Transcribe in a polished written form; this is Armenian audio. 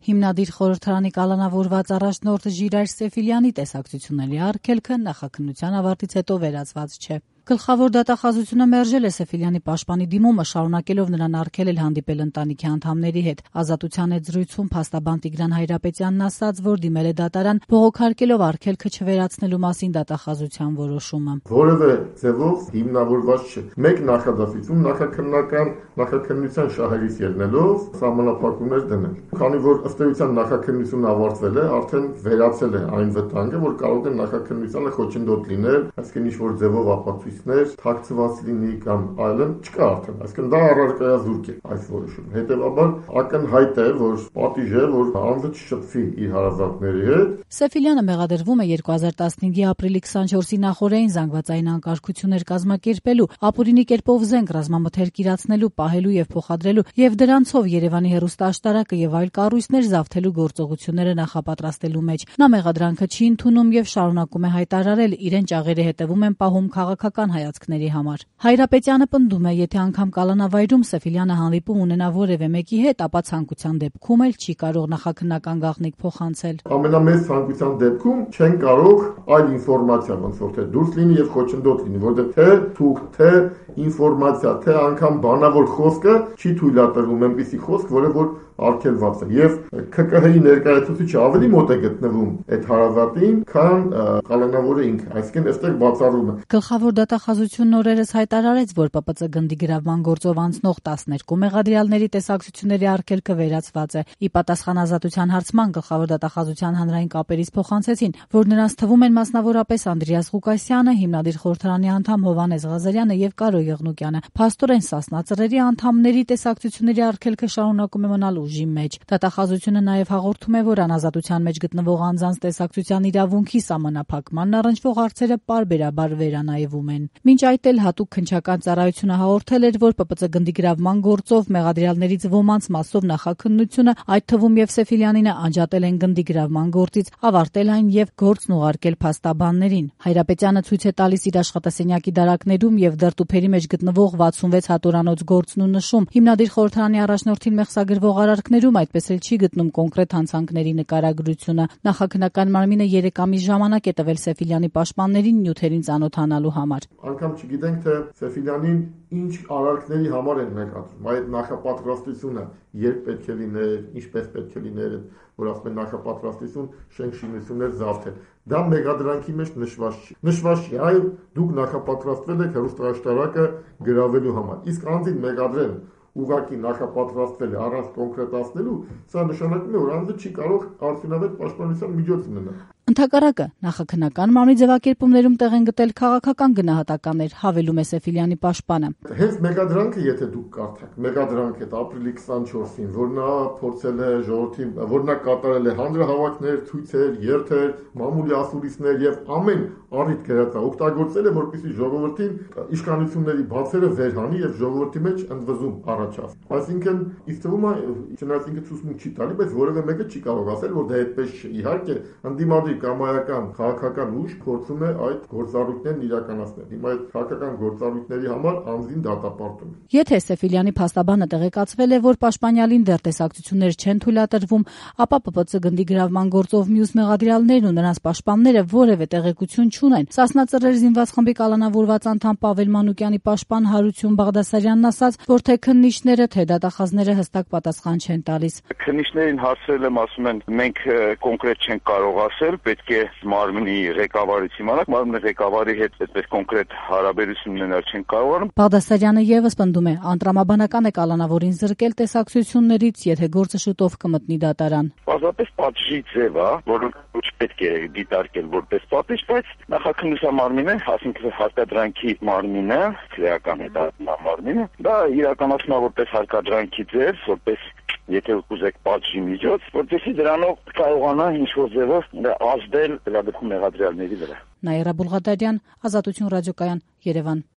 Հիմնադիր խորհրդարանի կալանավորված առաջնորդ Ժիրայր Սեֆիլյանի տեսակցությունների արգելքը նախաքննության ավարտից հետո վերացված չէ։ Գլխավոր դատախազությունը մերժել է Սեֆիլյանի պաշտպանի դիմումը, շարունակելով նրան արգելել հանդիպել ընտանիքի անդամների հետ։ Ազատության հետ զրույցում փաստաբան Տիգրան Հայրապետյանն ասաց, որ դիմել է դատարան, բողոքարկելով արգելքը չվերացնելու մասին դատախազության որոշումը։ Որևէ ձևով հիմնավորված չէ։ Մեկ նախադասություն նախաքննության շահերից ելնելով սահմանափակումներ դնել։ Քանի որ ըստ էության նախաքննությունը ավարտվել է, արդեն վերացել է այն վտանգը, որ կարող է նախաքննությանը խոչընդոտ լինել, այսինքն ինչ-որ ձևով ապացույցներ թաքցված լինի կամ այլն, չկա արդեն, այսինքն դա առարկայազուրկ է այս որոշումը։ Հետևաբար ակնհայտ է, որ պատիժ է, որ անձը չշփվի իր հարազատների հետ։ Սեֆիլյանը մեղադրվում է 2015-ի ապրիլի 24-ի նախօրեին զանգվածային անկարգություններ կազմակերպելու, ապօրինի կերպով զենք ռազմամթերք իրացնելու, պահելու եւ փոխադրելու եւ դրանցով Երևանի հեռուստաաշտարակը եւ այլ կառույցներ զավթելու գործողությունները նախապատրաստելու մեջ։ Նա մեղադրանքը չի ընդունում եւ շարունակում է հայտարարել, իրեն ճաղերը հետևում են պահում քաղաքական հայացքների համար։ Հայրապետյանը պնդում է, եթե անգամ կալանավայրում Սեֆիլյանը հանդիպում ունենա որևէ մեկի հետ, ապա ցանկության դեպքում էլ չի կարող նախաքննական գաղտնիք փոխանցել։ Ամենամեծ ցանկության դեպքում չեն կարող այլ ինֆորմացիա ոնց որ թե դուրս լինի եւ խոչընդոտ լինի, որովհետեւ թե թուղթ, թե ինֆորմացիա, թե անգամ բանավոր խոսքը չի թույլատրվում այնպիսի խոսք, որը որ արգելված է եւ ՔԿՀ-ի ներկայացուցիչը ավելի մոտ է գտնվում այդ հարազատին, քան կալանավորը ինքը, այսինքն այստեղ բացառում է։ Գլխավոր դատախազությունն օրերս հայտարարեց, որ ՊՊՑ գնդի գրավման գործով անցնող 12 մեղադրյալների տեսակցությունների արգելքը վերացված է։ Ի պատասխան Ազատության հարցման գլխավոր դատախազության հանրային կապերից փոխանցեցին, որ նրանց թվում են մասնավորապես Անդրեաս Ղուկասյանը, հիմնադիր խորհրդարանի անդամ Հովհաննես Ղազարյանը եւ Կարո Եղնուկյանը։ Փաստորեն Սասնա ծռերի անդամների տեսակցությունների արգելքը շարունակում է մնալ ուժի մեջ։ Դատախազությունը նաև հաղորդում է, որ անազատության մեջ գտնվող անձանց տեսակցության իրավունքի սահմանափակմանն առնչվող հարցերը պարբերաբար վերանայվում են։ Մինչ այդ էլ հատուկ քննչական ծառայությունը հաղորդել էր, որ ՊՊՑ գնդի գրավման գործով մեղադրյալներից ոմանց մասով նախաքննությունը, այդ թվում եւ Սեֆիլյանինը անջատել են գնդի գրավման գործից, ավարտել այն եւ գործն ուղարկել փաստաբաններին։ Հայրապետյանը ցույց է տալիս իր աշխատասենյակի դարակներում եւ դրտուփերի մեջ գտնվող 66 հատորանոց գործն ու նշում. հիմնադիր խորհրդարանի առաջնորդին մեղսագրվող արարքներում այդպես էլ չի գտնում կոնկրետ հանցանքների նկարագրությունը։ Նախաքննական մարմինը 3 ամիս ժամանակ է տվել Սեֆիլյանի պաշտպաններին նյութերին ծանոթանալու համար։ Անգամ չգիտենք, թե Սեֆիլյանին ինչ արարքների համար են նկատում, այդ նախապատրաստությունը երբ պետք է լիներ, ինչպես պետք է լիներ, որ ասում են նախապատրաստություն շենք շինություններ զավթել։ Դա մեղադրանքի մեջ նշված չի։ Նշված չի, այլ դուք նախապատրաստվել եք հեռուստաաշտարակը գրավելու համար։ Իսկ անձին մեղադրել ուղղակի նախապատրաստվել է առանց կոնկրետացնելու, սա նշանակում է, որ անձը չի կարող արդյունավետ պաշտպանության միջոց ունենալ։ Ընդհակառակը, նախաքննական մարմնի ձևակերպումներում տեղ են գտել քաղաքական գնահատականներ, հավելում է Սեֆիլյանի պաշտպանը։ Հենց մեղադրանքը, եթե դուք կարդաք, մեղադրանքը այդ ապրիլի 24-ին, որ նա փորձել է ժողովրդին, որ նա կատարել է հանրահավաքներ, ցույցեր, երթեր, մամուլի ասուլիսներ եւ ամեն առիթ գրածա օգտագործել է, որպեսզի ժողովրդին իշխանությունների բացերը վերհանի եւ ժողովրդի մեջ ընդվզում առաջացնի։ Այսինքն, ինձ թվում է, չնայած ինքը ցույցմունք չի տալի, բայց որևէ մեկը չի կարող ասել, որ դա այդպես չէ։ Իհարկե, ընդդիմադիր կամայական քաղաքական ուժ փորձում է այդ գործառույթներն իրականացնել։ Հիմա այդ քաղաքական գործառույթների համար անձին դատապարտում է։ Եթե Սեֆիլյանի փաստաբանը տեղեկացվել է, որ պաշտպանյալին դեռ տեսակցություններ չեն թույլատրվում, ապա ՊՊՑ գնդի գրավման գործով մյուս մեղադրյալներն ու նրանց պաշտպանները որևէ տեղեկություն չունեն։ Սասնա ծռեր զինված խմբի կալանավորված անդամ Պավել Մանուկյանի պաշտպան Հարություն Բաղդասարյանն ասաց, որ թե քննիչները, թե դատախազները հստակ պատասխան չեն տալիս։ Քննիչներին հարցրել եմ, ասում են, մենք կոնկրետ չենք կարող ասել, պետք է մարմնի ղեկավարից իմանանք, մարմնի ղեկավարի հետ այդպես կոնկրետ հարաբերություն ունենալ չեն կարողանում։ Բաղդասարյանը եւս պնդում է, անտրամաբանական է կալանավորին զրկել տեսակցություններից, եթե գործը շուտով կմտնի դատարան։ Պարզապես պատժի ձև է, որը չպետք է դիտարկել որպես պատիժ, բայց նախաքննության մարմինը, ասինքն հարկադրանքի մարմինը, քրեական հետազոտման մարմինը, դա իրականացնում է որպես հարկադրանքի ձև, որպես եթե ուզեք պատժի միջոց, որպեսզի դրանով կարողանա ինչ-որ ձևով ազդել դրա դեպքում մեղադրյալների վրա։ Նաիրա Բուլղադարյան, Ազատություն ռադիոկայան, Երևան։